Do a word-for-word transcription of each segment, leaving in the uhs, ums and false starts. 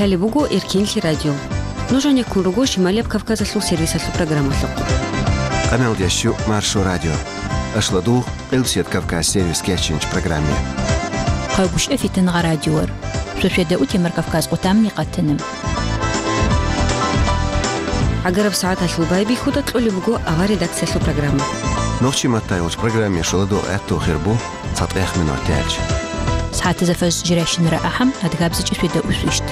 Лъалеб буго Эркенлъи радио. Нуж гьанеккун руго Шималияб Кавказалъул сервисалъул программалъухъ. Къаналдящу Маршо радио. Ашладу Къилбсият Кавказ сервис кечинч программе. Хъайбушев Фитангъа радиор. Шошведа утемар Кавказ къутамни къатана. ГӀагараб сагӀаталъул байбихьуда кьолеб буго авар редакциялъул программа. Нохчи маттайулч программе шуладу гӀатту хирбу цатӀех минут тяч. СагӀатаза фаз жиращинара ахӀам, адгабзичӀи шведа усвищт.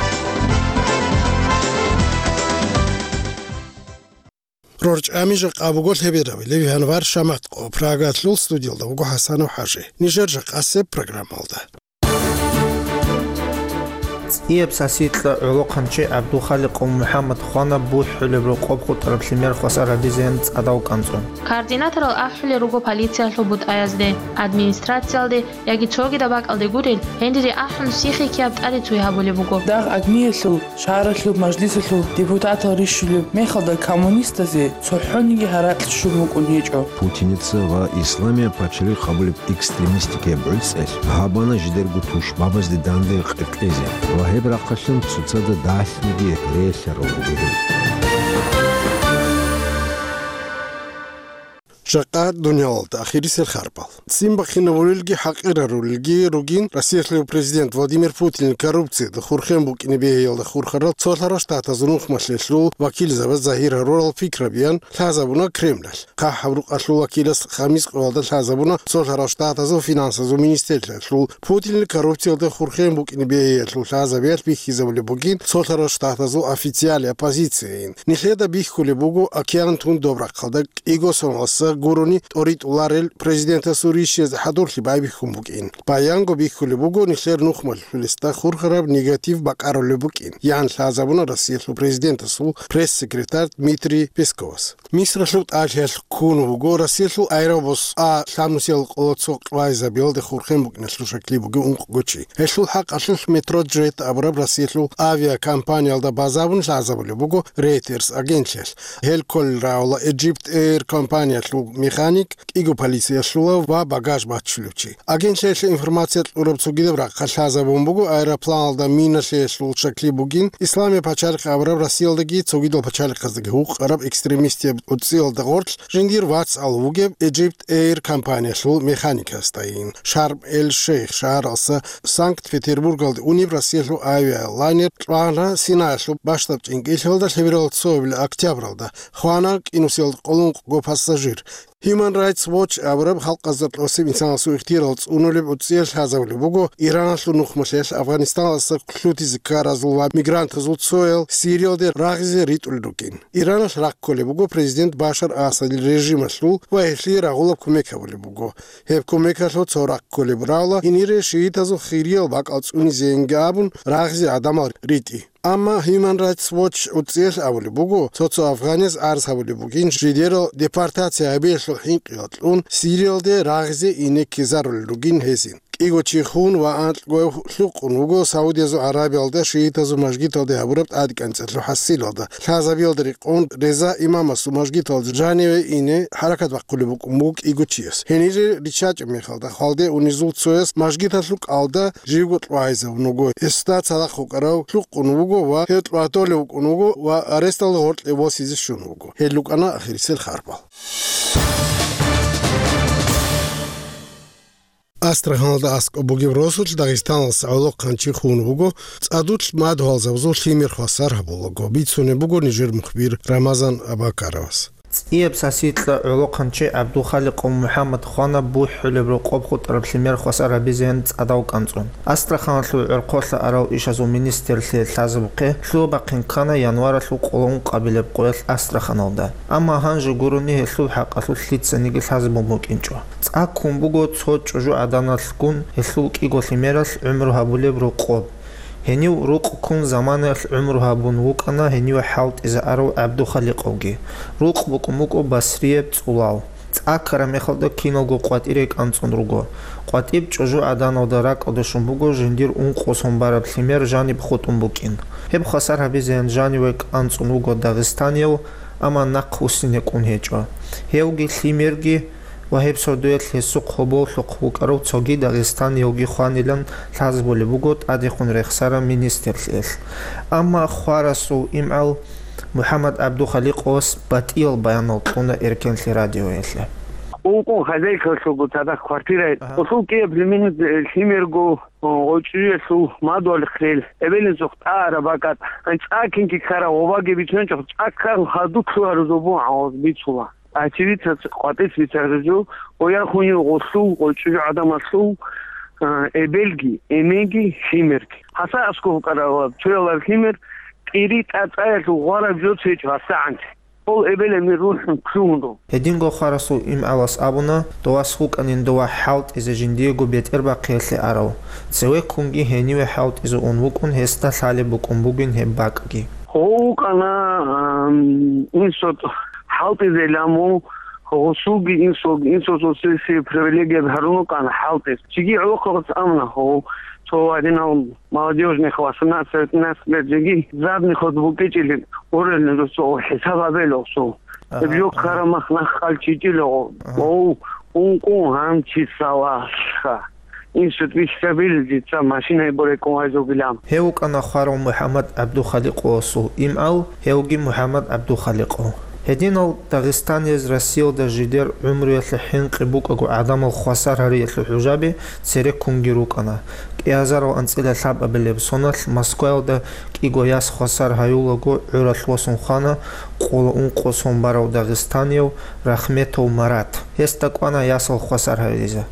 РорчӀами жакъа буго лъеберавилев январь шаматкъо. Прагалъул студиялда вуго ХӀасанов ХӀажи. Нижер жакъасеб программалда. ЦӀияб сасикьа гӀолохъанчи ГӀабдулхаликъов МухӀаммад хвана бухӀулеб рокъоб хутӀараб лъимер хвасар гьабизеян цӀадав кӀанцӀун. Координаторал ахӀулел руго полициялъул бутӀаязде, администрациялде яги цогидаб бакӀалде гурел, гьениб ахӀун сихӀи ккияб тӀаде цуй гьабулеб буго. Дагъ агниялъул шагьаралъул мажлисалъул депутатал рищулеб мехалда коммунистазе цохӀониги гьаракь щун букӀун гьечӀо. Путиница ва Исламияб пачалихъ абулеб экстремистикияб гӀуцӀел гьабана жидерго тушбабазде данде къеркьезе ва гьеб рахъалъун цоцазда дагьлъиги релълъарал руго гьел. Жакъа дуниялалда ахирисел харбал. Ццин бахинабулелги хӀакъирарулелги ругин Россиялъул президент Владимир Путинил коррупциялда хурхен букӀине бегьиялда хурхарал Цолъарал Штатазул нухмалъелъул вакилзабаз загьир гьарурал пикрабиян лъазабуна Кремлалъ. ХъахӀаб рукъалъул вакилас Хамис къоялда лъазабуна Цолъарал Штатазул финансазул министрлъиялъул Путинил коррупциялда хурхен букӀине бегьиялъул лъазабиялъ бихьизабулеб бугин Цолъарал Штатазул официалияб позицияйин. Нилъеда бихьулеб буго океан тун доб рахъалда кӀиго соналъ гурони тӀоритӀуларел президентасул рищиязда хӀадурлъи байбихьун букӀин. Баянго бихьулеб буго нилъер нухмалъулесда хурхараб негатив бакӀарулеб букӀин, ян лъазабуна Россиялъул президентасул пресс-секретарь Дмитрий Песковас. Мисралъул тӀалъиялъ ккун вуго Россиялъул аэробус А лъабнусиял къоло цо къвайзабиялда хурхен букӀиналъул шаклъи бугев ункъго чи. Гьелъул хӀакъалъулъ Метроджет абураб Россиялъул авиакомпаниялда базабун лъазабулеб буго Reuters агентлъиялъ. Гьел кколел рагӀула Egypt Air компаниялъул механик, кӀиго полициялъула ва багаж баччулев чи. Агентлъиялъе информация кьураб цогидаб рахъалъ лъазабун буго аэропланалда миналъиялъул шаклъи бугин, Исламияб пачалихъ абураб Россиялдаги цогидал пачалихъаздаги гьукъараб экстремистияб гӀуцӀиялда гъорлъ жиндир вацал вугеб Egypt Air компаниялъул механикасдайин. Шарм-эль-Шейх шагьаралса Санкт-Петербургалде унеб Россиялъул авиалайнер кьвана Синаялъул бащдаб чӀинкӀиллъиялда лъеберал цоабилеб октябралда, хвана кӀинусиялда къоло ункъго пассажир. Human Rights Watch абураб халкъазда кьосеб инсанасул ихтиярал цӀунулеб гӀуцӀиялъ лъазабулеб буго Ираналъул нухмалъиялъ Афганистаналдаса лъутизе ккаразул ва мигрантазул цоял Сириялде рагъизе ритӀулел ругин. Ираналъ ракколеб буго президент Башар Асадил режималъул ва гьелъие рагъулаб кумек гьабулеб буго. Гьеб кумекалъул цо ракколеб рагӀула гьенире шиитазул хириял бакӀал цӀунизейинги абун рагъизе гӀадамал ритӀи. Амма Human Rights Watch гӀуцӀиялъ абулеб буго, цо-цо афганец гӀарз гьабулеб бугин жидерал депортация гьабиялъул хӀинкъиялда кьун Сириялде рагъизе ине ккезарулел ругин гьезин. КӀиго чи хун ва анкьго лъукъун вуго Саудиязул Арабиялда шиитазул мажгиталде гьабураб тӀадекӀанцӀалъул хӀасилалда. Лъазабиялда рекъон Реза имамасул мажгиталде жаниве ине хӀаракат бахъулеб букӀун буго кӀиго чияс. Гьенире риччачӀеб мехалда хвалде унезул цояс мажгиталъул кӀалда живго кьвагьизабун вуго. Гьесда цадахъ вукӀарав лъукъун вуго ва гьев кьватолев вукӀун вуго ва аресталда гъоркье восизе щун вуго. Гьел рукӀана ахирисел харбал. Астраханалда аскӀоб бугеб росулъ Дагъистаналъ гӀолохъанчи хун вуго, цӀадулъ мадугьалзабазул лъимер хвасар гьабулаго, бицунеб буго нижер мухбир Рамазан Абакаровас. ЦӀияб сасикьа гӀолохъанчи ГӀабдулхаликъов МухӀаммад хвана бухӀулеб рокъоб хутӀараб лъимер хвасар гьабизеян цӀадав кӀанцӀун. Астраханалъул гӀорхъолъа арал ишазул министрлъи лъазабухъе лъугьа-бахъин ккана январалъул къоло ункъабилеб къоялъ Астраханалда. Амма гьанже гурони гьелъул хӀакъалъулъ лъицаниги лъазабун букӀинчӀо. ЦӀа ккун буго цо чӀужугӀаданалъгун гьелъул кӀиго лъимералъ гӀумру гьабулеб рокъоб. Гьенив рукъ ккун заманаялъ гӀумру гьабун вукӀана гьениве хӀалтӀизарав ГӀабдухаликъовги. Рукъ букӀун букӀо Басрияб цӀулал. ЦӀа ккараб мехалда киналго къватӀире кӀанцӀун руго. КъватӀиб чӀужугӀаданалда ракӀалде щун буго жиндир ункъо сон бараб лъимер жаниб хутӀун букӀин. Гьеб хвасар гьабизеян жаниве кӀанцӀун вуго дагъистанияв, амма нахъ вуссине кӀун гьечӀо. Гьевги лъимерги ва гьеб сордоялъ гьесухъ гьоболлъухъ вукӀарав цоги дагъистаниявги хванилан лъазабулеб буго тӀадехун рехсарав министрлъиялъ. Амма хварасул имгӀал МухӀаммад ГӀабдухаликъовас батӀиял баянал кьуна Эркенлъи радиоялъе. Ункъун хозяйкалъулго цадахъ квартира. Агьа. Гъосул кӀияб лъимер-, лъимерго, о, гъочӀиялъул мадугьалихъ рел, эбел-инсухъ тӀагӀараб бакӀат, цӀакинги ккараб гъобаги бицунчӀухъ, цӀаккан хадур лъугьараб зобун гӀаваз бицула. Очевидцаз къватӀис бицараб жо, бояхунев гъолъул, гъочӀи гӀадамалъул, а, эбелги, эменги, лъимерги. Гьаса аскӀов вукӀарав цоялар лъимер кӀири тӀацӀаялъул гъвараб жо цечӀо гьасагӀанте. Гьол эбел-эмен рухӀун лъугьун руго. Гьединго хварасул имгӀалас абуна, дов вас вукӀанин дова хӀалтӀизе жиндиего бетӀербахъиялъе арав. Цевеккунги гьениве хӀалтӀизе ун вукӀун, гьесда лъалеб букӀун бугин гьеб бакӀги. Гъов вукӀана, ам, инсот хӀалтӀизейилан мун, гъосулги инсулги, инсулги сесие привилегия гьарун вукӀана хӀалтӀиз. Чиги гӀолохъабаз амна гъов, цо гьадинал молодёжных восемнадцать-пятнадцать лет жеги, задний ход букӀичӀилин, орелин росо хӀисаб гьабел гъосул. Ага, гьеб жо ага. Ккараб мах нах хъалчичӀила гъов. Ага. Гъов, ункъун гьанчи салаха. Инсут бихьабил дица машинай борекӀун вайзугилан. Гьев вукӀана хварав МухӀаммад ГӀабдухаликъовасул имгӀал, гьевги МухӀаммад ГӀабдухаликъов. Гьединал дагъистанияз Россиялда жидер гӀумруялъе хӀинкъи букӀаго гӀадамал хвасар гьариялъул хӀужаби цереккунги рукӀана. КӀиазарал анцӀила лъабабилеб соналъ Москваялда кӀиго яс хвасар гьаюлаго гӀуралъ восун хвана къола ункъо сон барав дагъистанияв Рахметов Марат. Гьесда кӀвана ясал хвасар гьаризе.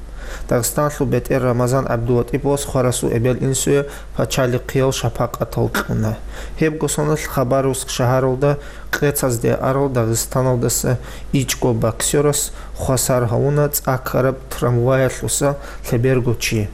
Дагъистаналъул бетӀер Рамазан ГӀабдулатӀиповас хварасул эбел-инсуе пачалихъиял шапакъатал кьуна. Гьебго соналъ Хабаровск шагьаралда къецазде арал Дагъистаналдаса ичӀго боксерас хвасар гьавуна цӀа ккараб трамваялъуса лъеберго чи.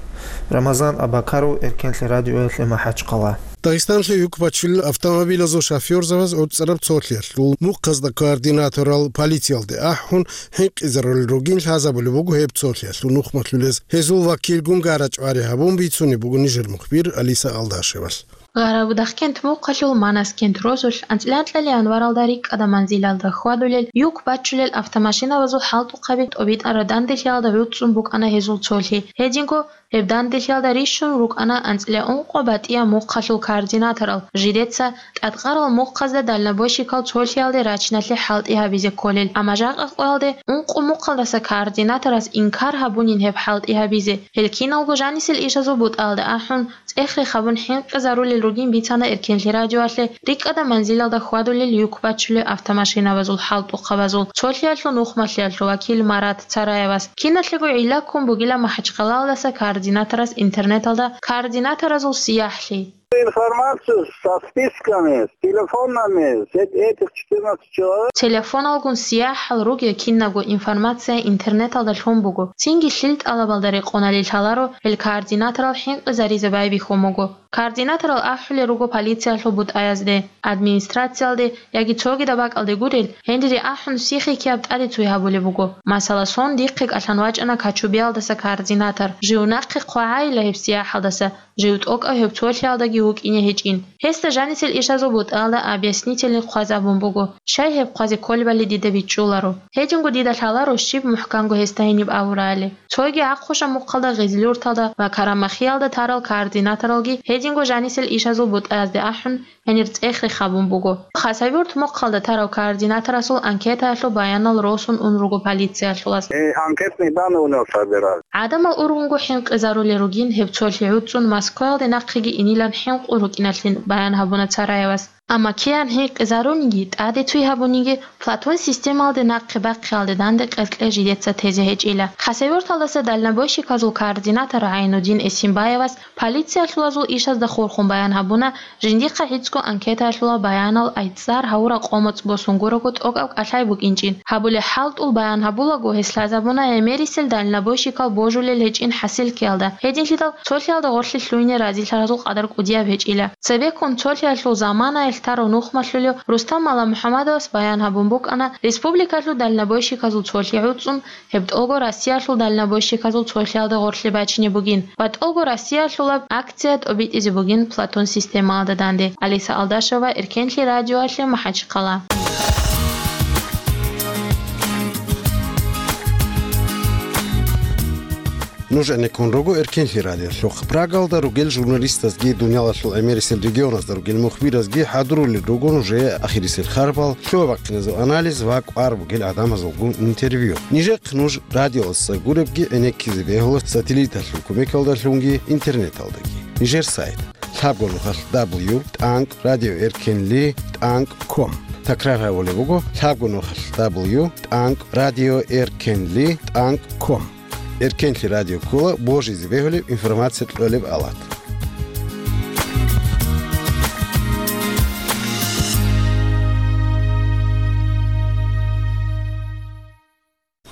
Рамазан Абакаров, Эркенлъи радиоялъе МахӀачхъала. Дагъистанлъи юк бачулел автомобилазул шофёрзабаз гӀуцӀараб цолъиялъул мухъазда координаторал полициялде ахӀун, хӀинкъизарулел ругин лъазабулеб буго гьеб цолъиялъул нухмалъулез. Гьезул вакилгун гара-чӀвари гьабун бицунеб буго нижер мухбир Алиса Алдашевалъ. Гъарабудахъкент мухъалъул Манаскент росулъ анцӀила анкьалъ январалда рикӀкӀада манзилалда хьвадулел юк бачулел автомашинабазул хӀалтӀухъаби тӀобитӀараб данделъиялда гӀуцӀцӀун букӀана гьезул цолъи. Гьединго гьеб данделъиялда рищун рукӀана анцӀила ункъо батӀияб мухъалъул координаторал, жидеца тӀадкъарал мухъазда дальнобойщикал цолъиялде рачиналъе хӀалтӀи гьабизе кколел, амма жакъа къоялде ункъо мухъалдаса координаторас инкар гьабунин гьеб хӀалтӀи гьабизе. Гьел киналго жанисел ишазул бутӀаялда ахӀун, цӀех-рех гьабун хӀинкъизарулел ругин бицана Эркенлъи радиоялъе рикӀкӀада манзилалда хьвадулел юк бачулел автомашинабазул хӀалтӀухъабазул цолъиялъул нухмалъиялъул вакил Марат Цараевас. Киналъего гӀилла ккун бугила МахӀачхъалаялдаса координаторас интернеталда координаторазул сияхӀлъи. Информацию со списками, с телефонами, с эт-, этих четырнадцать человек. Телефоналгун сияхӀал ругел кинабго информация интернеталда лъун буго. Цинги лъил тӀалабалда рекъоналде лъаларо гьел координаторал хӀинкъизаризе байбихьун буго. Координаторал ахӀулел руго полициялъул бутӀаязде, администрациялде яги цогидаб бакӀалде гурел, гьениб ахӀун сихӀикияб тӀаде цуй гьабулеб буго. Масала, сон дихъе кӀалъан вачӀана Качубиялдаса координатор. Жив нахъе хъвагӀайила гьеб сияхӀалдаса, жив тӀокӀав гьеб цолъиялдаги вукӀине гьечӀин. Гьесда жанисел ишазул бутӀаялда объяснительный хъваз абун буго, щай гьеб хъвазе кколебали дида бичӀчӀуларо. Гьединго дида лъаларо щиб мухӀканго гьесда гьениб абурали. Цоги ахъуша мухъалда Гъизлюрталда ва Карамахиялда тарал координаторалги гьединго жанисел ишазул бутӀаязде ахӀун, гьенир цӀех-рех гьабун буго. Хасавюрт мухъалда тарав координаторасул анкетаялъул баянал росун ун руго полициялъулас. Э, анкетные данные у него собирали. ГӀадамал ургъунго хӀинкъизарулел ругин гьеб цолъи гӀуцӀцӀун Москваялде нахъеги инилан хӀинкъун рукӀиналъин баян гьабуна Цараевас. Амма киян хӀинкъизаруниги, тӀаде цуй гьабуниги, Платон системалде нахъе бахъиялде данде къеркье жидеца тезе гьечӀила. Хасавюрталдаса дальнобойщиказул координатор ГӀайнудин Эсимбаевас полициялъулазул ишазда хурхун баян гьабуна, жиндихъа гӀицӀго анкетаялъула баянал айцӀар гьавураб къо-моцӀ босун гурого тӀокӀаб кӀалъай букӀинчӀин. Гьабулеб хӀалтӀул баян гьабулаго, гьес лъазабуна гӀемерисел дальнобойщикал божулел гьечӀин хӀасилкиялда, гьединлъидал цолъиялда гъорлъе лъугьине разилъаразул къадар кӀудияб гьечӀила. Цебеккун цолъиялъул заманаялъ тарав нухмалъулев Рустам Маламухьамадовас баян гьабун букӀана, республикалъул дальнобойщиказул цолъи гӀуцӀцӀун, гьеб тӀолго Россиялъул дальнобойщиказул цолъиялда гъорлъе бачине бугин ва тӀолго Россиялъулаб акция тӀобитӀизе бугин Платон системалда данде. Алиса Алдашева, Эркенлъи радиоялъе, МахӀачхъала. Нуж гӀенеккун руго Эркенлъи радиолъухъ. Прагалда ругел журналистазги, дуниялалъул гӀемерисел регионазда ругел мухбиразги хӀадурулел руго нужее ахирисел харбал, лъугьа-бахъиназул анализ ва кӀвар бугел гӀадамазулгун интервью. Нижехъ нуж радиоялдаса гуребги гӀенеккизе бегьула сателлиталъул кумекалдалъунги интернеталдаги. Нижер сайт: лъабго нухалъ дабл ю тӀанкӀ радио эркенли тӀанкӀ ком. Такрар гьабулеб буго: лъабго нухалъ дабл ю тӀанкӀ радио эркенли тӀанкӀ ком. Эркенлъи радио ккола божизе бегьулеб информация кьолеб алат.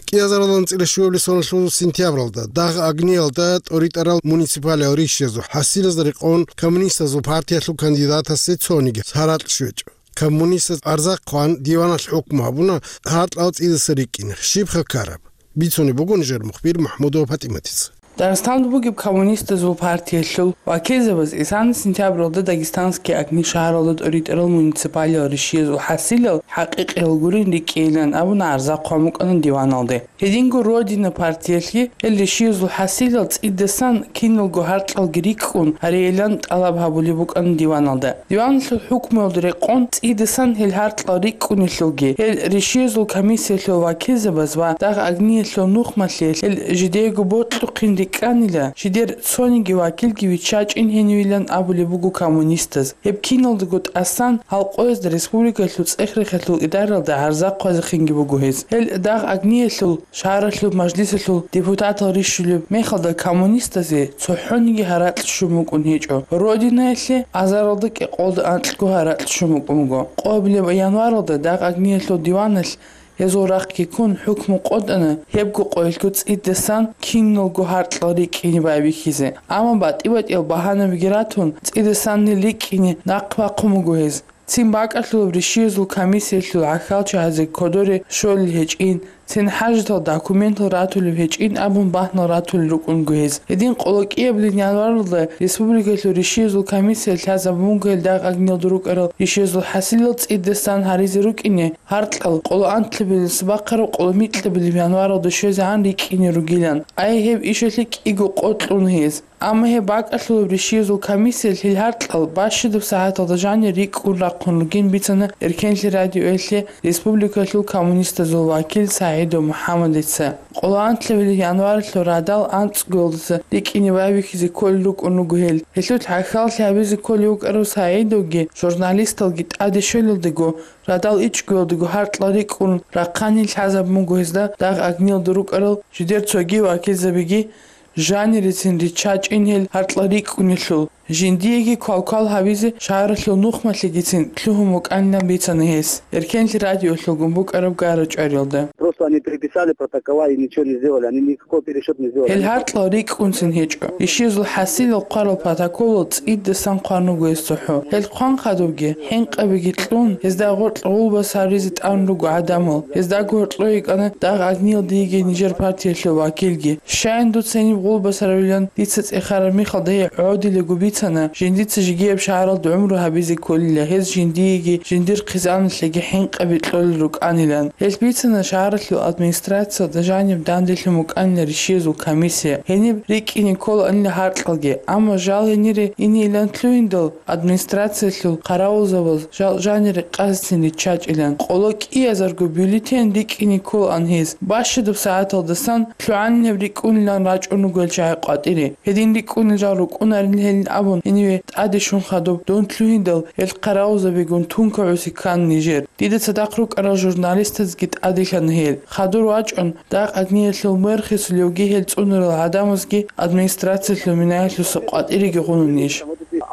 КӀиазаралда анцӀила щуабилеб соналъул сентябралда дагъ-агниялда тӀоритӀарал муниципалиал ришшезул хӀасилазда рекъон коммунистазул партиялъул кандидатасе цониги гьаракь щвечӀо. Коммунистаз арзахъ хъван, диваналъ хӀукму гьабуна гьаркьал цӀидаса рикӀкӀине. Щибха ккараб? Бицунеб буго нижер мухбир МахӀмудова ПатӀиматица. Дагъистанда бугеб коммунистазул партиялъул вакилзабаз исана сентябралда Дагестанские огни шагьаралда тӀоритӀарал муниципалиал ришшезул хӀасилал хӀакъикъиял гурин рикӀкӀейилан абуна арзахъ хъван букӀана диваналде. Гьединго «Родина» партиялъе гьел ришшезул хӀасилал цӀидасан киналго гьаркьалги рикӀкӀун гьареян тӀалаб гьабулеб букӀана диваналда. Диваналъул хӀукмуялда рекъон цӀидасан гьел гьаркьал рикӀкӀунелъулги, гьел ришшезул комиссиялъул вакилзабаз ва дагъ-агниялъул нухмалъе гьел жидеего бокьухъин рикӀкӀанила, жидер цониги вакилги виччачӀин гьенивилан абулеб буго коммунистаз. Гьеб киналдаго тӀасан гьал къоязда республикалъул цӀех-рехалъул идаралда гьарзахъ хъвазехинги буго гьез. Гьел дагъ-агниялъул шагьаралъул мажлисалъул депутатал рищулеб мехалда коммунистазе цохӀониги гьаракь щун букӀун гьечӀо. «Родинаялъе» азаралда кӀикъоялда анкьго гьаракь щун букӀун буго. Къоабилеб январалда дагъ-агниялъул диваналъ гьезул рахъги ккун хӀукму къотӀана гьебго къоялъго цӀидасан киналго гьаркьал рикӀкӀине байбихьизе. Амма батӀи-батӀиял багьанабиги ратун, цӀидасан гьел рикӀкӀине нахъ бахъун буго гьез. Цин бакӀалъулаб ришшезул комиссиялъул гӀахьалчагӀазе кодоре щолел гьечӀин, цин хӀажатал документал ратулеб гьечӀин абун бахӀнал ратулел рукӀунго гьез. Гьедин къоло кӀиабилеб январалда республикалъул ришшезул комиссия лъазабун буго гьел дагъ-агниялда рукӀарал ришшезул хӀасилал цӀидасан гьаризе рукӀине гьаркьал къоло анлъабилеб бахъараб къоло микьабилеб январалда щвезегӀан рикӀкӀине ругилан. Ай гьеб ишалъе кӀиго къо кьуна гьез. Амма гьеб бакӀалъулаб ришшезул комиссиялъ гьел гьаркьал бащадаб сагӀаталда жанир рикӀкӀун рахъун ругин бицана Эркенлъи радиоялъе республикалъул коммунистазул вакил СагӀидов МухӀаммадица. Къоло анлъабилеб январалъул радал анцӀгоялдаса рикӀкӀине байбихьизе кколел рукӀун руго гьел. Гьелъул хӀахьаллъи гьабизе кколев вукӀарав СагӀидовги журналисталги тӀаде щвелалдаго, радал ичӀгоялдаго гьаркьал рикӀкӀун рахъани лъазабун буго гьезда дагъ-агниялда рукӀарал жидер цоги вакилзабиги, жанирецин риччачӀин гьел гьаркьал рикӀкӀунелъул, жиндиеги квалквал гьабизе шагьаралъул нухмалъегицин лъугьун букӀанилан бицана гьес. Эркенлъи радиолъулгун букӀараб гара-чӀвариялда. Просто они переписали протокола и ничего не сделали, они никакой пересчёт не сделали. Гьел гьаркьал рикӀкӀунцин гьечӀо. Ришшезул хӀасилал хъварал протоколал цӀидасан хъван руго гьес цохӀо. Гьел хъван хадубги, хӀинкъабиги кьун, гьезда гъоркь гъулбас гьаризе тӀан руго гӀадамал. Гьездаго гьоркьо йикӀана дагъ-агниялда йигей нижер партиялъул вакилги. Щайин дуца гьениб гъулбас гьаравилан дица цӀехараб мехалда гьей гӀодилаго бицана, жиндица жигияб шагьаралда гӀумру гьабизе кколила, гьез жиндиеги жиндир хъизаналъеги хӀинкъаби кьолел рукӀанилан. Гьелъ бицана шагьаралъул администрациялда жаниб данделъун букӀанила ришшезул комиссия, гьениб рикӀкӀине кколаанила гьаркьалги, амма жал гьенире инейилан лъугьиндал, администрациялъул хъаравулзабаз жал жанире къазцин риччачӀилан. Къоло кӀиазарго бюллетень рикӀкӀине кколаан гьез. Бащадаб сагӀаталдасан лъугӀанинаб рикӀкӀунилан рачӀун руго гьел чагӀи къватӀире. Гьедин рикӀкӀунел жал рукӀунарин гьелин абун, гьениве тӀаде щун хадуб дун лъугьиндал, гьел хъаравулзабигун тункагӀуси ккан нижер. Дида цадахъ рукӀарал журналистазги тӀаделъана гьел. Хадур вачӀун, дагъ-агниялъул мэр хисулевги гьел цӀунарал гӀадамазги администрациялъул минаялъуса къватӀиреги гъунанищ?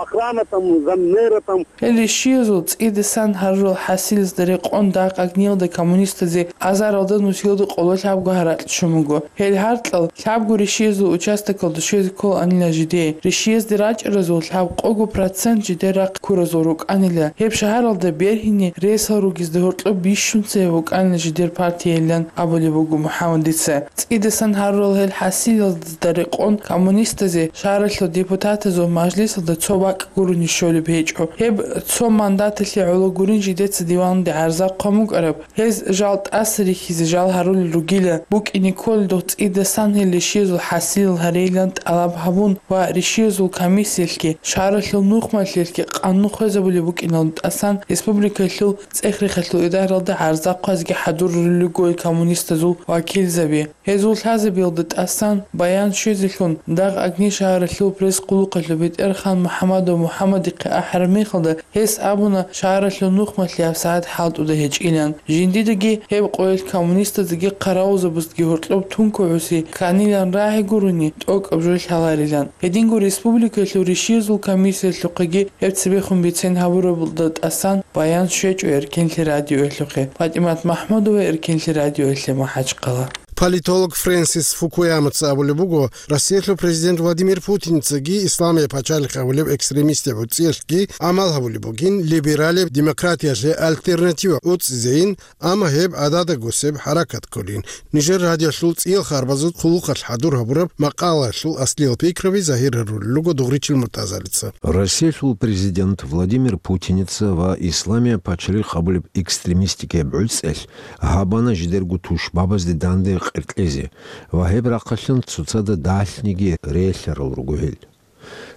Охрана там, заммэра там. Гьел ришшиязул цӀидасан гьарурал хӀасилазда рекъон дагъ-агниялда коммунистазе азаралда нусиялда къоло лъабго гьаракь щун буго. Гьел гьаркьал лъабго ришшиязул участокалда щвезе кколаанила жидее. Ришшиязде рачӀаразул лъабкъого процент жидер рахъ ккуразул рукӀанила. Гьеб шагьаралда бергьине ресал ругезда гьоркьоб бищун цебе букӀанила жидер партиялилан абулеб буго МухӀаммадица. ЦӀидасан гьарурал гьел хӀасилазда рекъон коммунистазе шагьаралъул депутатазул мажлисалда цо бакӀ гурони щолеб гьечӀо. Гьеб цо мандаталъе гӀоло гурин жидеца диванде гӀарза хъван букӀараб. Гьез жал тӀаса рихьизе жал гьарулел ругила, букӀине кколел дох цӀидасан гьел ришиязул хӀасилал гьарейилан тӀалаб гьабун ва ришиязул комиссиялъги, шагьаралъул нухмалъиялъги къанун хвезабулеб букӀиналдасан республикалъул цӀех-рехалъул идаралда гӀарза хъвазеги хӀадурулел руго коммунистазул вакилзаби. Гьезул лъазабиялда тӀасан баян щвезелъун, дагъ Агни шагьаралъул пресс-къуллукъалъул БетӀерхан МухӀамадов МухӀамадихъе ахӀараб мехалда, гьес абуна, шагьаралъул нухмалъи гьабсагӀат хӀалтӀуда гьечӀилан. Жиндидаги гьеб къоялъ коммунистаздаги хъаравулзабаздаги гьоркьоб тункугӀуси кканилан рагӀи гурони, тӀокӀаб жо лъаларилан. Гьединго республикалъул ришиязул комиссиялъухъеги гьеб цебехун бицен гьабурабалда тӀасан баян щвечӀо Эркенлъи радиоялъухъе. ПатӀимат МахӀмудова, Эркенлъи радиоялъе, МахӀачхъала. Политолог Фрэнсис Фукуямаца абулеб буго, Россиялъул президент Владимир Путинцаги Исламияб пачалихъ абулеб экстремистияб гӀуцӀиялъги гӀамал гьабулеб бугин, либералияб демократиялъе альтернатива гӀуцӀизейин, амма гьеб гӀадада гусеб хӀаракат кколин. Нижер радиолъул цӀиял харбазул хъулухъалъ хӀадур гьабураб макъалаялъул аслиял пикраби загьир гьарулел руго Дугъричил Муртазалица. Россиялъул президент Владимир Путиница ва Исламияб пачалихъ абулеб экстремистикияб гӀуцӀиялъ гьабана жидерго тушбабазде данде къеркьезе ва гьеб рахъалъан цоцазда далъниги релълъарал руго гьел.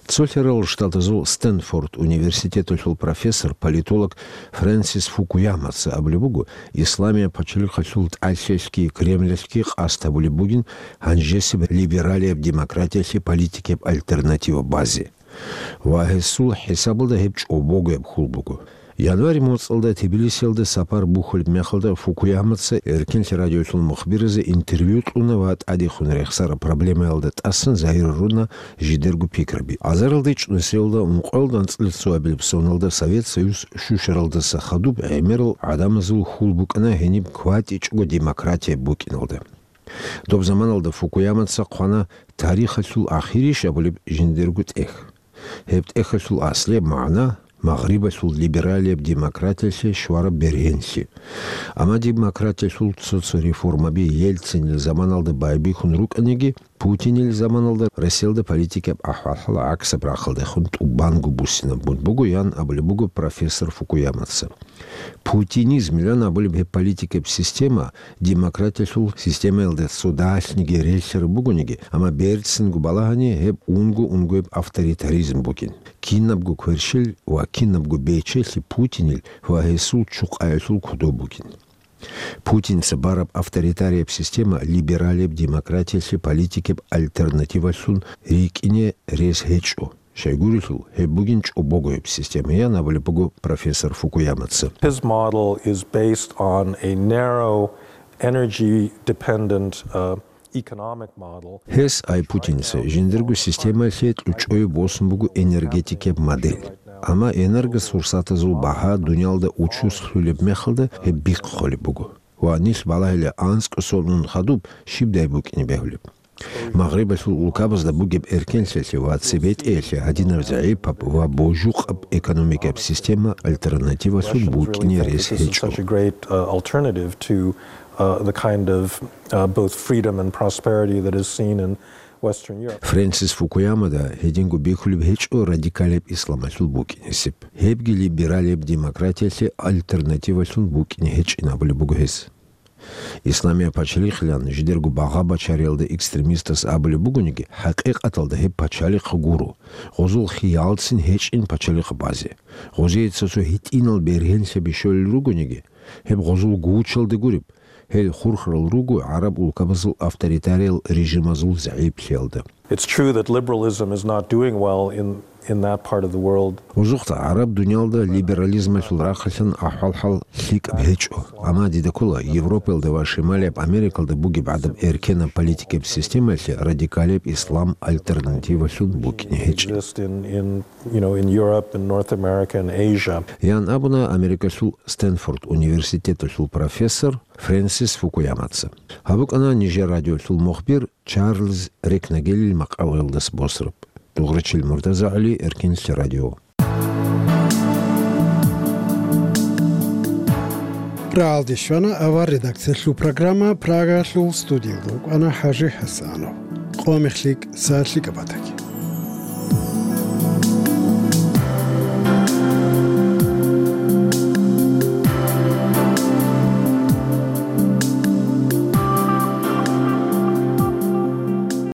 Цолъарал Штатазул Стэнфорд университеталъул профессор, политолог Фрэнсис Фукуямаца абулеб буго, Исламияб пачалихъалъул тӀалъиялъги Кремлалъги къасд гьабулеб бугин гьанжесеб либералияб демократиялъе политикияб альтернатива базе. Ва гьесул хӀисабалда гьеб чӀобогояб хьул буго. Январь моцӀалда Тбилисиялда сапар бухьулеб мехалда Фукуямаца Эркенлъи радиолъул мухбиразе интервью кьуна ва тӀадехун рехсараб проблемаялда тӀасан загьир гьаруна жидерго пикраби. Азаралда ичӀнусиялда ункъоялда анцӀила цоабилеб соналда Совет Союз щущаралдаса хадуб гӀемерал гӀадамазул хьул букӀана гьениб кватӀичӀого демократия букӀиналда. Доб заманалда Фукуямаца хъвана тарихалъул ахирищ абулеб жиндирго тӀех. Гьеб тӀехалъул аслияб магӀна магърибалъул либералияб демократиялъе щвараб бергьенлъи. Амма демократиялъул цо-цо реформаби Ельцинил заманалда байбихьун рукӀаниги, Путинил заманалда Россиялда политикаб ахӀвал-хӀал гӀаксаб рахъалдехун тӀубанго буссинабун буго, ян абулеб буго профессор Фукуямаца. Путинизмилан абулеб гьеб политикаб система демократиялъул системаялда цо далъниги релълъараб бугониги, амма берцинго балагьани гьеб унго-унгояб авторитаризм бугин. Кинабго кверщел ва кинабго бечелъи Путинил ва гьесул чукъаялъул кодоб бугин. Путинца бараб авторитарияб система либералияб демократиялъе политикаб альтернативалъун рикӀкӀине рес гьечӀо. Щайгурелъул, гьеб бугин чӀобогояб система, ян абулеб буго профессор Фукуямаца. His model is based on a narrow, energy-dependent, uh, economic model. Гьес, ай Путинца, жиндирго системалъе кьучӀое босун буго энергетикияб модель. Амма энергосурсатазул багьа дуниялда учуслъулеб мехалда гьеб бихъ холеб буго. Ва нилъ балагьила анцӀго сон ун хадуб щибдай букӀине бегьулеб. Магърибалъул улкабазда бугеб эркенлъиялъе ва цебетӀеялъе гьадинаб загӀипаб ва божукъаб экономикаб система альтернативалъун букӀине рес гьечӀо. Such a great, uh, alternative to, uh, the kind of, uh, both freedom and prosperity that is seen in Western Europe. Фрэнсис Фукуямада гьединго бихьулеб гьечӀо радикалияб исламалъул букӀинесеб. Гьебги либералияб демократиялъе альтернативалъун букӀине гьечӀин абулеб буго гьес. Исламияб пачалихъилан жидерго багъа-бачариялда экстремистас абулеб бугониги, хӀакъикъаталда гьеб пачалихъ гуро, гъозул хиялцин гьечӀин пачалихъ базе. Гъозие цо-цо гьитӀинал бергьенлъаби щолел ругониги, гьеб гъозул гучалда гуреб, гьел хурхарал руго гӀараб улкабазул авторитариял режимазул загӀиплъиялда. It's true that liberalism is not doing well in, in that part of the world. Гъозухъа гӀараб дуниялда либерализмалъул рахъалъан ахӀвал-хӀал лъикӀаб гьечӀо. Амма дида ккола, Европаялда ва Шималияб Америкалда бугеб гӀадаб эркенаб политикаб системалъе радикалияб ислам альтернативалъун букӀине гьечӀин. Exist in, in, you know, in Europe and North America and Asia. Ян абуна Америкалъул Стэнфорд университеталъул профессор Фрэнсис Фукуямаца. Гьаб букӀана нижер радиолъул мухбир Чарльз Рекнагелил макъалаялдаса босараб. Дугърачил МуртазагӀали, Эркенлъи радио. Рагьалде щвана авар редакциялъул программа, Прагалъул студиялда вукӀана ХӀажи ХӀасанов. Къо мехлъи, сагӀат лъикӀаб батаги.